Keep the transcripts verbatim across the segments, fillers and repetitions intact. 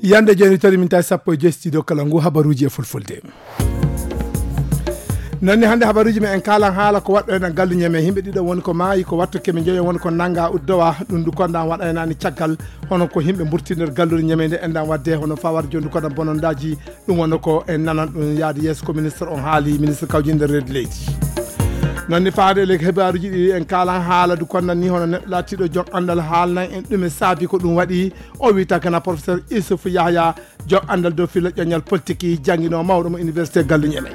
Yande jooni tori min tawi sappo e joyi studio kala ngu habaruuji e fulfulde. Noon ni hannde habaruuji men en kaalan haala ko waɗɗo en gallu ñeme. Yimɓe ɗiɗo woni ko maayi, ko watto keme njoyo woni ko nannga uddowa. Ɗum du kondan waɗaynaani caggal, hono ko yimɓe mburti nder galluure ñeme nde enɗan waɗde, hono fawar jondu kondan bonondaaji. Ɗum wonno ko en nanan ɗum yaade yeeso ko ministre on haali, ministre kawjinde reedu leydi. Noon ni faade e leydi hebaaruuji ɗi en kaalan haala du kondan ni hono neɗɗo laatiiɗo joom anndal haalnan en ɗum e saabi ko ɗum waɗi. O wiyata kana professeur Issouf Yahya, joom anndal dow filla ƴoñal politique, jannginoo mawɗo mo université gallu ñeme.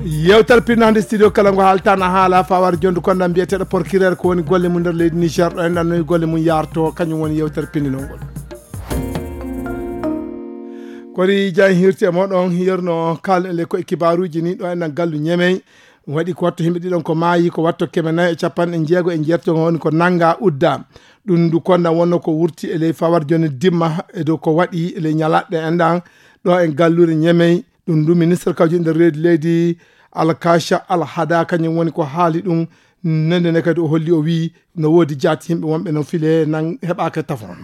Yewtere pinnaande studio kala ngo haaltana haala fawar jondu kondan mbiyeteeɗo procureur ko woni golle mum nder leydi Niger ɗo en ɗannoyi golle mum yarto kañum woni yewtere pinndinol ngol. Kori jan hirti e moɗon yerno kal ele ko e kibaaruuji ni ɗo en ɗan gallu ñemey. Waɗi ko watto yimɓe ɗiɗon ko maayi, ko watto keme nayi e capanɗe jeego e jeetati woni ko nannga udda. Ɗum ndu konda wonno ko wurti e ley fawar joni dimma e dow ko waɗi e ley ñalaɗɗe en ɗan ɗo en galluure ñemey. Ɗum ndu ministre kawji nder reedi leydi Alkasha Alhada kañum woni ko haali ɗum. Nende ne kadi o holli o wii no woodi jaati yimɓe wonɓe no file nan heɓaaka tafon.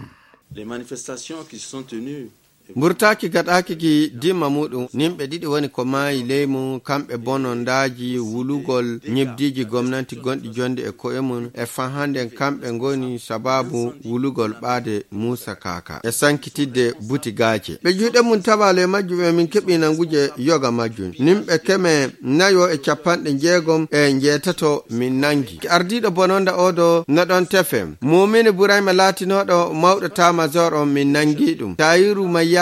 Les manifestations qui se sont tenues. Mburtaaki gaɗaaki ki dimma muɗum, nimɓe ɗiɗi woni ko maayi ley mum, kamɓe bonondaaji wulugol ñibdiiji gomnanti gonɗi jonde e ko'e mum, e fahanden kamɓe ngoni sabaabu wulugol ɓaade Muusa Kaaka e sankitidde buti gaace. Ɓe juuɗe mum tawaalo e majjum e min keɓi nanguje yoga majjum. Nimɓe keme nayo e capanɗe jeegom e njeetato min nangi. Ardiiɗo bononda oɗo no ɗon tefe. Mumini Burayma laatinooɗo mawɗo tamajor on min nangi ɗum. Tayiru Mayyaki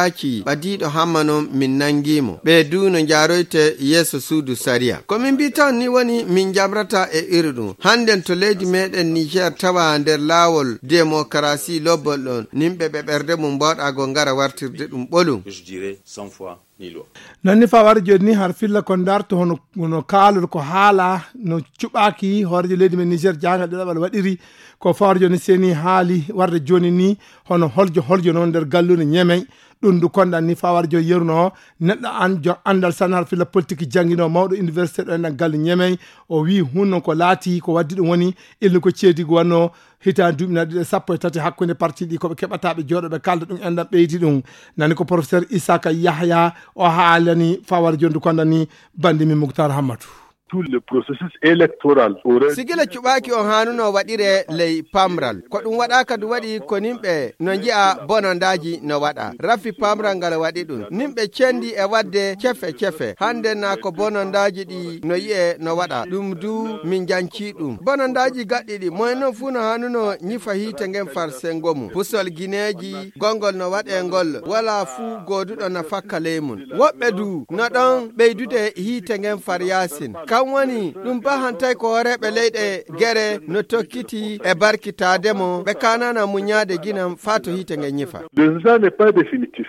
ɓadiiɗo Hamman on min nangi mo. Ɓe du no njaaroyte yeeso suudu sariya. Ko min mbi tan ni woni min njamrata e iri ɗum. Hannden to leydi meɗen Niger tawa nder laawol demokarasi lobbol ɗon. Nimɓe ɓe ɓerde mum mbawɗa go ngara wartirde ɗum ɓolum. Je dirais cent fois ni loi. Noon ni fawar joni ni har filla ko darto hono, hono kaalol ko haala no cuɓaaki hoorejo leydi men Niger jahangal ɗiɗaɓal waɗiri. Ko fawar joni seni haali warde joni ni hono holjo holjo noon nder gallure ñemey. Ɗum ndu konɗan ni fawar joni yeruno neɗɗo an jo anndal san har filla politique janngino mawɗo université ɗo enɗan galle ñemey. O wi hunno ko laati ko waddi ɗum woni ilni ko ceedi ko wanno hitaande duuɓi na ɗiɗi e sappo e tati hakkunde parti ɗi ko ɓe keɓata ɓe jooɗo ɓe kalda ɗum enɗan ɓeydi ɗum. Nani ko professeur Isaka Yahya o haalani fawar jondu konɗan ni bandi mi Muktar Hammatu. Tout le processus électoral aurait sigila cuɓaaki on haanuno waɗire ley pamral. Ko ɗum waɗaaka du waɗi ko nimɓe no nji'a bonondaaji no waɗa. Rafi pamral ngal waɗi ɗum. Nimɓe cendi e waɗde cefe cefe. Hande na ko bonondaaji ɗi no yi'e no waɗa. Ɗum du min janci ɗum. Bonondaaji gaɗɗiɗi. Moyen non fuu no haanuno ñifa hiite ngen far sengo mum. Pusol gineeji, gongol no waɗe ngol. Wala fuu gooduɗo na fakka ley mum. Woɓɓe du no ɗon ɓeydude hiite ngen far yaasin. Kan woni ɗum bahantay ko hooreeɓe leyɗe gere no tokkiti e barkitaade mo, ɓe kaanana muñaade ginam faa to hiite nge ñifa. Le résultat n'est pas définitif.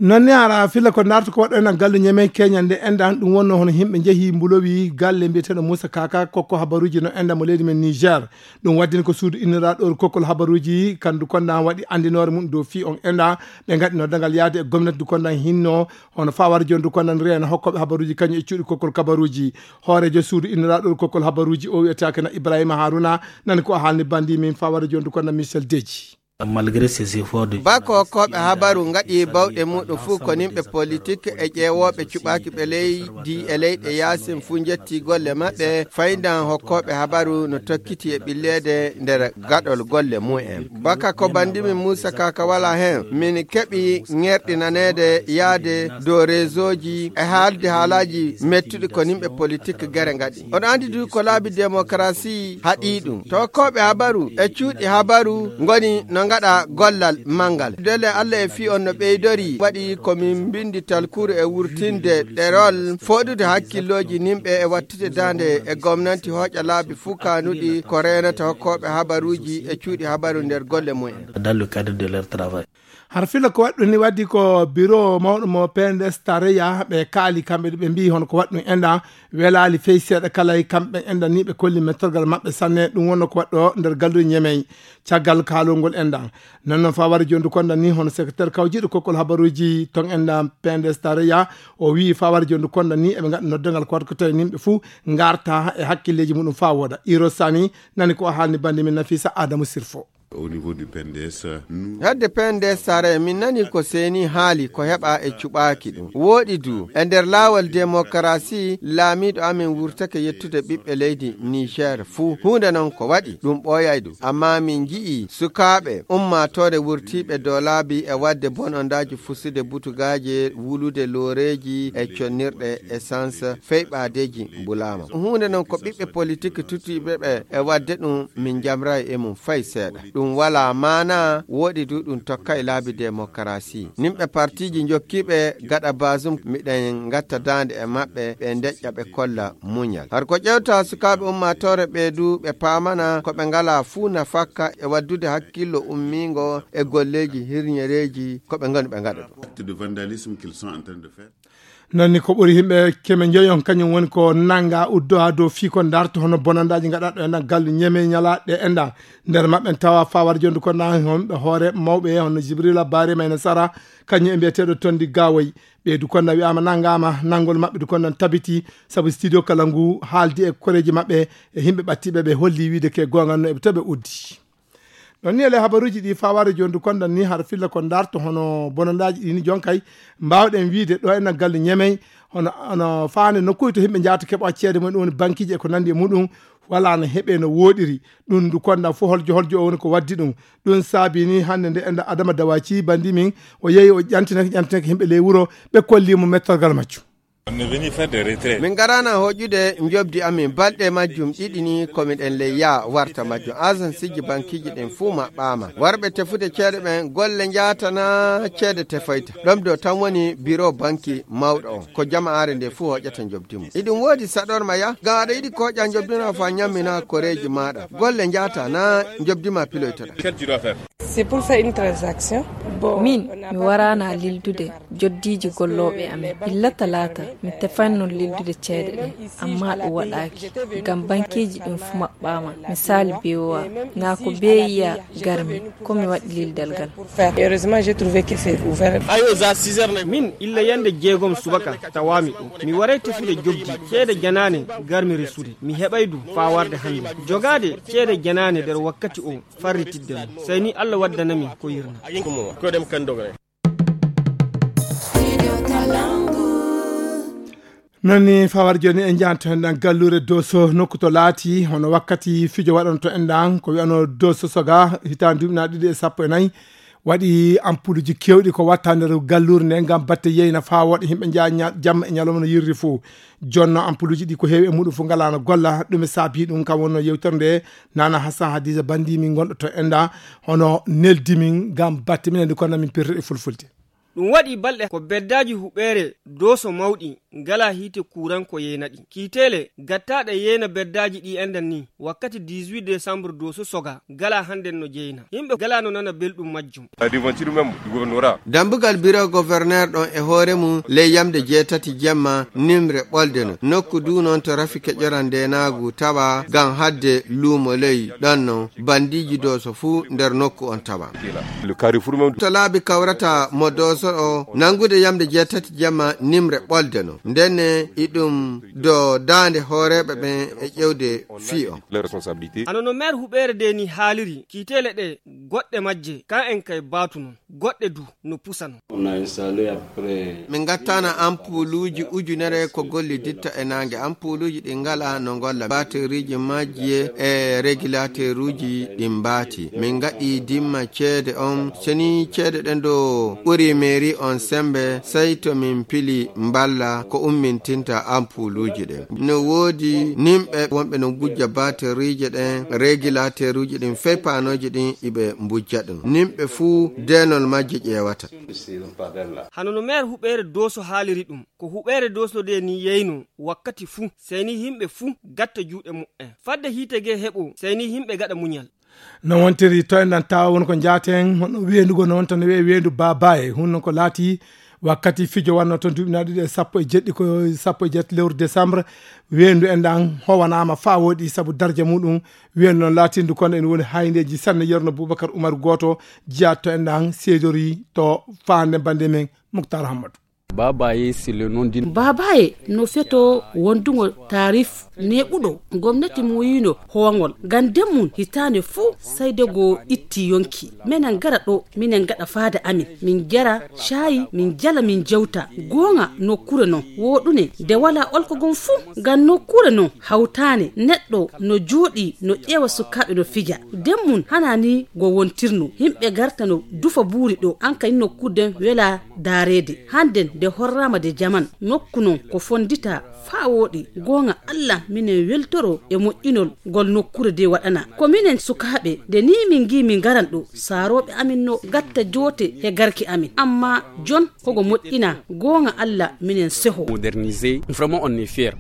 Noon ni hara filla ko darto ko waɗɗo enen gallu ñeme keñande enɗan ɗum wonno hono yimɓe njehi mbulowi galle mbiyeteeɗo Moussa Kaka kokko habaruuji no enɗan mo leydi men Niger. Ɗum waddini ko suudu inniraaɗo kokkol habaruuji kandu konɗan waɗi anndinoore mum dow fii on enɗan ɓe ngaɗi noddagal yaade e gomnati du konɗan hinno hono fawar jondu konɗan reena hokkooɓe habaruuji kañum e cuuɗi kokkol kabaruuji. Hooreejo suudu inniraaɗo kokkol habaruuji o wiyetaake na Ibrahima Haruna nani ko o haalni bandi min fawar jondu konɗan Michel Deji. Malgré ces efforts de bako hokkooɓe habaru ngaɗi bawɗe muɗum fuu ko nimɓe politik e ƴeewooɓe cuɓaaki ɓe leydi e leyɗe yaasin fuu njetti golle maɓɓe. Faydan hokkooɓe habaru no tokkiti e ɓilleede nder gaɗol golle mumen. Baka ko bandimin Muusa Kaka wala heen, min keɓi ŋerɗinaneede yaade dow reesooji e haalde haalaaji mettuɗi ko nimɓe politik gere ngaɗi. Oɗo anndi du ko laabi demokarasi haɗi ɗum. To hokkooɓe habaru e cuuɗi habaru ngoni no ngaɗa gollal manngal. Dole Allah e fii on no ɓeydori waɗi ko min mbindi talkuru e wurtinde ɗerol fooɗude hakkillooji nimɓe e wattude daande e gomnanti hooƴa laabi fuu kaanuɗi ko reenata hokkooɓe habaruuji e cuuɗi habaru nder golle mumen. Dans le cadre de leur travail. Har fila ko waɗɗum ni waddi ko biro mawɗo mo P N D S tareya ɓe kaali kamɓe ɓe mbi hono ko waɗɗum enɗa welaali fey seeɗa kala e kamɓe enɗa ni ɓe kolli mettorgal maɓɓe sanne ɗum wonno ko waɗɗo nder galluji ñemey. Caggal kaalol ngol enɗan nanno fawari jondu konda ni hono secrétaire kawjiɗo kokkol habaruji ton enɗa P N D S tareya o wi fawari jondu konda ni eɓe gaɗa noddangal ko waɗa ko tawi nimɓe fuu garta e hakkilleji muɗum fa wooda. Iro Sani nani ko o haalni bandi min Nafisa Adamu Sirfo. Au niveau du P N D S, hadde P N D S sare min nani ko seeni haali ko heɓa e cuɓaaki ɗum. Wooɗi du e nder laawol demokarasi laamiiɗo amin wurtake yettude ɓiɓɓe leydi Niger fuu. Huunde noon ko waɗi ɗum ɓooyay ɗum. Amma min nji'i sukaaɓe ummaatoore wurtiiɓe dow laabi e waɗde bonondaaji fusude butugaaje, wulude looreeji e connirɗe essence, feyɓaadeeji mbulaama. Huunde noon ko ɓiɓɓe politik tuttiiɓe ɓe e waɗde ɗum min njamray e mum fay seeɗa. Ɗum walaa maana, wooɗi du ɗum tokkay laabi demokarasi. Nimɓe partiiji njokkiiɓe gaɗa Bazoum miɗen ngatta daande e maɓɓe, ɓe ndeƴƴa ɓe kolla muñal. Har ko ƴewta sukaaɓe ummaatoore ɓe du ɓe paamana ko ɓe ngalaa fuu nafakka e waddude hakkillo ummiingo e golleeji hirñereeji ko ɓe ngoni ɓe ngaɗa ɗum. Acte de vandalisme qu'ils sont en train de faire. Noon ni ko ɓuri yimɓe keme njoyon kañum woni ko nannga uddo haa dow fii ko ndarto hono bonandaaji ngaɗaaɗo e naggal ñeme ñalaaɗe enda. Nder maɓɓe en tawa fawar jondu ko na homɓe hoore mawɓe hono Jibrila Bare Mayna Sara, kañum e mbiyeteeɗo Tondi Gawoy. Ɓe du konna wi'ama nanngama, nanngol maɓɓe du konnan tabiti, sabu studio kala ngu haaldi e koreeji maɓɓe e yimɓe ɓattiɓe, ɓe holli wiide ke goonga no eɓe to ɓe uddi. Ɗon ni ele habaruuji ɗi fawaade jooni du kondan ni har filla ko ndarto hono bonandaaji ɗi ni jonkay mbaawɗen wiide ɗo e naggal ñemey hono, hono faande nokkuuji to yimɓe njaata keɓa ceede mumen, ɗum woni bankiiji e ko nanndi e muɗum, wala no heɓe no wooɗiri. Ɗum du kondan fof holjo holjo o woni ko waddi ɗum. Ɗum saabi ni hannde nde enda Adama Dawaci bandi min o yehi o ƴantinake ƴantinake yimɓe ley wuro, ɓe kolli mo mettorgal majjum. On est venu faire des retraits. Min ngarana hoƴude njobdi amin balɗe majjum ɗiɗi ni ko miɗen ley yaa warta majjum. Agenceji bankiiji ɗin fuu maɓɓaama. Warɓe tefude ceede ɓen golle njaatana ceede tefoyta. Ɗom do tan woni biro banki mawɗo on. Ko jama'aare nde fuu hoƴata njobdi mum. Iɗum woodi saɗorma ya, ngam aɗa yiɗi ko hoƴa njobdi na fa ñammina koreeji maaɗa. Golle njaata na njobdi ma piloytoɗa. Quel tu dois faire? C'est pour faire une transaction. Bon, min, on n'a mi pas waraana lildude joddiiji gollooɓe amen. Illa talaata, mi tefanno lildude ceede ɗe, amma ɗum waɗaaki, ngam bankiiji ɗin fu maɓɓaama. Misaali B O A, naa ko B I A garmi, ko mi waɗi lildal ngal. Heureusement, j'ai trouvé que c'est ouvert. Ayo, za six heures na min, illa yande jeegom subaka, tawaami ɗo. Mi waray tefude joggi, ceede janaane, garmi resude. Mi heɓay du, faa warde hannde. Jogaade ceede janaane nder wakkati o, farritidde mo. Sey ni Allah waddanami ko yirna. Ko ɗem kan dogre. Noon ni fawar jooni en njahanto heen ɗan galluure Doso, nokku to laati hono wakkati fijo waɗanto en ɗan, ko wi'ano Doso Soga, hitaande duuɓi na ɗiɗi e sappo e nayi, waɗi ampuluuji keewɗi ko watta nder galluure nde ngam batte yeyna faa woɗa yimɓe nja-, nya-, jamma e ñalawma no yirri fof. Jonno ampuluuji ɗi ko heewi e muɗum fof ngalaano golla, ɗum e saabi ɗum kam wonno yewtere nde, Nana Hassan Hadiza Bandi min gonɗo to Enda, hono neldi min ngam batte minen ndi kono min pirtuɗe fulfulde. Ɗum waɗi balɗe ko beddaaji huɓeere Doso mawɗi ngalaa hiite kuuran ko yeyna ɗi. Kiiteele gattaaɗe yeyna beddaaji ɗi enɗan ni, wakkati dix-huit décembre Doso Soga ngalaa hannden no jeyna. Yimɓe ngalaa no nana belɗum majjum. La devanture même du gouvernorat. Dambugal biro gouverneur ɗon e hoore mum ley yamde jeetati jemma nimre ɓolde no. Nokku du noon to rafi keƴoran ndeenaagu tawa ngam hadde luumo ley ɗon no. Bandiiji Doso fuu nder nokku on tawa. Le carrefour même. To laabi kawrata mo Doso o, nanngude yamde jeetati jamma nimre ɓolde no. Ndenne iɗum do daande hooreeɓe ɓen e ƴewde fii on. Les responsabilités. Hano no maire huɓeere nde ni haaliri, kiiteele ɗe goɗɗe majje, kan en kay baatu non, goɗɗe du no pusa non. On a installé à peu près. Min ngattana ampuluuji ujunere ko golliditta e naange. Ampuluuji ɗi ngala no ngolla. Bateriiji majji e regulateruuji ɗi mbaati. Min ngaɗi dimma ceede on. Seni ceede ɗen do ɓuri mairie on sembe, sey to min pili mballa ko ummintinta ampuluuji ɗen. No woodi nimɓe wonɓe no ngujja bateriije ɗen, regulateruuji ɗin, fey paanooji ɗin iɓe mbujja ɗum. Nimɓe fuu deenol majje ƴeewata. Hano no meer huɓeere Dooso haaliri ɗum, ko huɓeere Dooso de ni yeyno wakkati fuu, sey ni yimɓe fuu gatta juuɗe muɓɓen. Fadde hiite gee heɓo, sey ni yimɓe gaɗa muñal. No wontiri to enɗan tawa won ko njaaten, hono weendu goo no wonta no wi'e weendu Baabaye, hunno ko laati wakkati fijo wanno toon duuɓi na ɗiɗi e sappo e jeɗɗi, ko sappo e jeetati lewru décembre, weendu enɗan howanaama faa wooɗi sabu darja muɗum. Weendu noon laatindu kono ene woni hayndeeji sanne. Yerno Boubacar Oumar Gooto jeyaa to enɗan seedori to faande bannde men Mouctar Hammadou. Babaye, c'est le nom d'une... Babaye no feto wondugo taarif neɓuɗo gomnati mum yiino hoongol. Ngam nden mum hitaande fuu sayde go itti yonki. Minen ngara ɗo, minen ngaɗa faada amin. Min njara caayi, min njala, min jewta. Goonga nokkuure non wooɗune nde walaa olko gon fuu. Ngam nokkuure non hawtaane neɗɗo no jooɗii no ƴeewa sukaaɓe no fija. Nden mum hanaa ni go wontirno. Yimɓe ngarta no dufa buuri ɗo. An kadi nokkuure nden welaa daareede. Hannden nde horraama nde jaman. Nokku non ko fonditaa faa wooɗi. Goonga Alla, minen weltoro e moƴƴinol ngol nokkuure nde waɗanaa. Ko minen sukaaɓe, nde nii min ngi'i min ngaran ɗo, saarooɓe amin no ngatta joote he garki amin. Ammaa jon ko ngo moƴƴinaa. Goonga Alla, minen seho. Modernisé, vraiment on est fier.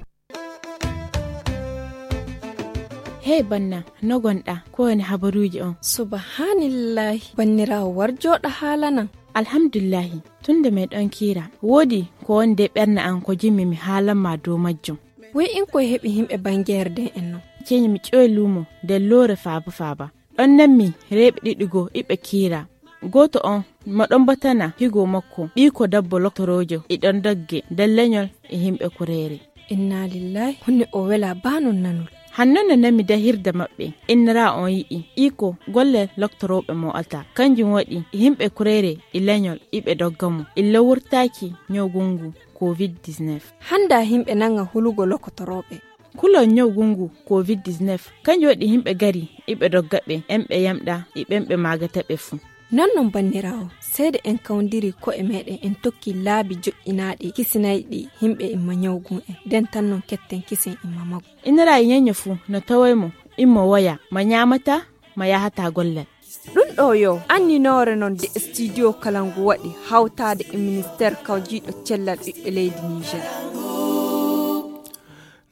Hey banna, no gonɗaa? Ko woni habaruuji on? Subhaanallaahi, banniraawo, war jooɗa haalanan. Alhamdulillahi, tun nde meɗon kiira, woodi ko woni nder ɓernde an ko jimmi mi haalan ma dow majjum. Woy in koy heɓi yimɓe bangeere nden en non? Ceeni mi ƴoy luumo nder loore faaba faaba. Ɗon nanmi rewɓe ɗiɗi goo iɓe kiira. Gooto on mo ɗon batana higo makko, ɓiiko dabbo loktoroojo, e ɗon dogge nder leñol e yimɓe kureere. Inna lillahi, honne o wela baa non nanol. Hanno no nanmi dahirde maɓɓe, innira on yi'i iko golle loktorooɓe mo alta. Kanjum waɗi yimɓe kureere e leñol iɓe dogga mo. Illa wurtaaki ñawgu ngu covid dix-neuf. Hannda yimɓe nanga hulugo loktorooɓe. Kulol ñawgu ngu covid dix-neuf, kanjum waɗi yimɓe gari iɓe dogga ɓe, en ɓe yamɗa, e ɓen ɓe maagata ɓe fuu. Non non banniraawo, seede en kawndiri ko'e meɗen en tokki laabi joƴƴinaaɗi kisinayɗi yimɓe imma ñawgu en, nden tan non ketten kisen imma magu. Inira e ñeño fuu no tawoy mo, immo woya, ma ñaamata, ma yahata gollal. Ɗum ɗo yo anninoore non de studio Kalangu waɗi hawtaade e ministère kawjiiɗo cellal ɓiɓɓe leydi Niger.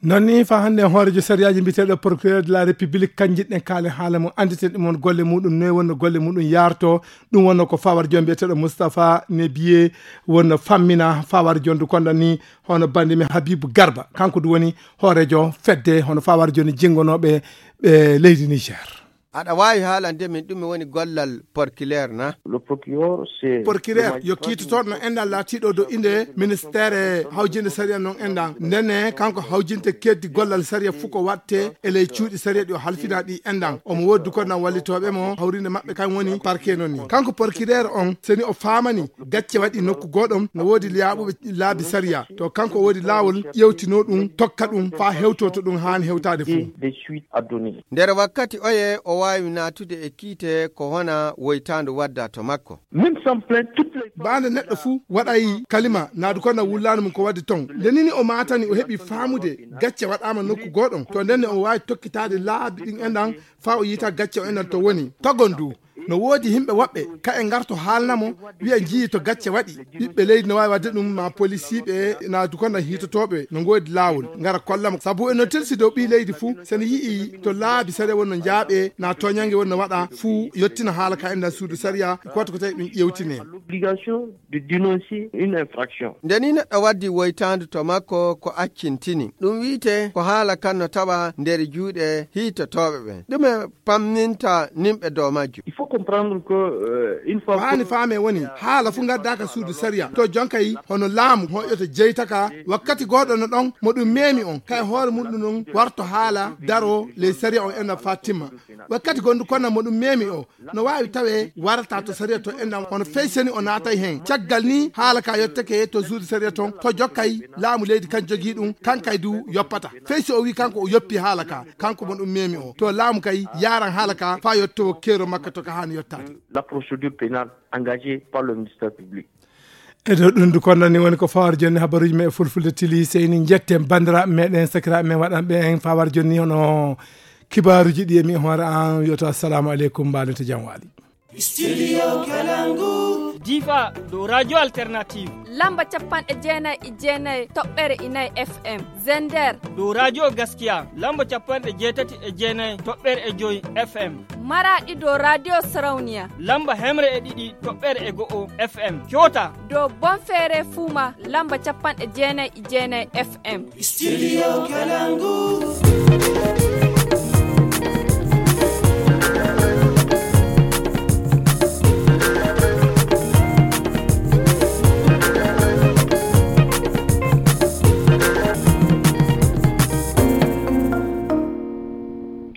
Non ni fa hannde en hoorejo sariyaaji mbiyeteeɗo procureur de la république kan jiɗɗen kaalen haala mum, annditen ɗum on golle muɗum, noy wonno golle muɗum yaarto. Ɗum wonno ko fawar jon mbiyeteeɗo Moustapha Nebiye wonno fammina fawar jon du konda ni hono bandi men Habibou Garba, kanko du woni hoorejo fedde hono fawar jon jingonooɓe ɓe leydi Niger. Aɗa waawi haalande min ɗume woni gollal porkileer na? Porkileer yo kiitotooɗo no enɗan laatiiɗo dow innde ministeere hawjinde sariya non enɗan. Ndenne kanko hawjinte keddi gollal sariya fuu ko waɗte e ley cuuɗi sariya ɗi o halfina ɗi enɗan. Omo woodi du ko nan wallitooɓe mo, hawrinde maɓɓe kan woni parquet non ni. Kanko porkileer on, seni o faamani gacce waɗi nokku gooɗon, no woodi laaɓuɓe laabi sariya. To kanko o woodi laawol ƴeewtinoo ɗum, tokka ɗum, faa hewtoo to ɗum haani hewtaade fuu. Nder wakkati oye o waawi naatude e kiite ko hona woytaandu wadda to makko. Même sans plainte, toutes les... Baande neɗɗo fuu waɗay kalima, naadu ko na wullaani mum ko waɗi ton. Nde nini o maatani, o heɓi faamude gacce waɗaama nokku gooɗon. To ndenne o waawi tokkitaade laabi ɗin enɗan, faa o yiita gacce o enɗan to woni. Togon du, no woodi yimɓe woɓɓe, ka e ngarto haalna mo, wi'a njiyii to gacce waɗi. Ɓiɓɓe leydi no waawi waɗde ɗum, ma polisiiɓe, naadu ko na hiitotooɓe, no ngoodi laawol, ngara kolla mo. Sabu eno tilsi dow ɓii leydi fuu, so no yi'ii to laabi sariya wonno njaaɓe, na tooñange wonno waɗa fuu, yottina haala ka enɗan suudu sariya, ko waɗi ko tawi ɗum ƴeewtine. L'obligation de dénoncer une infraction. Nde ni neɗɗo waddi woytaandu to makko ko accintini. Ɗum wi'ite ko haala kan no tawa nder juuɗe hiitotooɓe ɓen. Ɗume pamminta nimɓe dow majjum? Il faut comprendre que, euh, une fois... Ko haani faame woni, haala fuu ngaddaaka suudu sariya. To jonkay hono laamu hoƴoto jeytaka, wakkati gooɗo no ɗon, mo ɗum meemi on, kay hoore mum ɗum non warto haala, daro ley sariya on enɗan faa timma. Wakkati gondu konna mo ɗum meemi o, no waawi tawee warata to sariya to enɗan, hono fey seni o naatay hen. Caggal ni, haala ka yottake to suudu sariya ton, to jokkay laamu leydi kan jogii ɗum, kan kay du yoppata. Fey si o wii kanko o yoppi haala ka, kanko mo ɗum meemi o, to laamu kay yaaran haala ka faa yottowo keero makka to ka haani yottaade. La procédure pénale engagée par le ministère public. E dow ɗum du konda ni woni ko fawar jonni habaruuji men e fulfulde tili. Seyni njetten banndiraaɓe meɗen, sakiraaɓe men waɗanɓe en fawar jonni hono kibaaruuji ɗi e mi hoore an wiyoto assalamu aleykum, mbaɗen to jam waali. Studio Kalangu. Difa dow Radio Alternative. Lamba capanɗe jeenayi e jeenayi toɓɓere e nayi F M. Zender. Dow Radio Gaskiya. Lamba capanɗe jeetati e jeenayi toɓɓere e joy F M. Maraɗi dow Radio Sarauniya. Lamba hemre e ɗiɗi toɓɓere e go'o F M. Kyota. Dow Bonfere Fuma. Lamba capanɗe jeenayi e jeenayi F M. Studio Kalangu.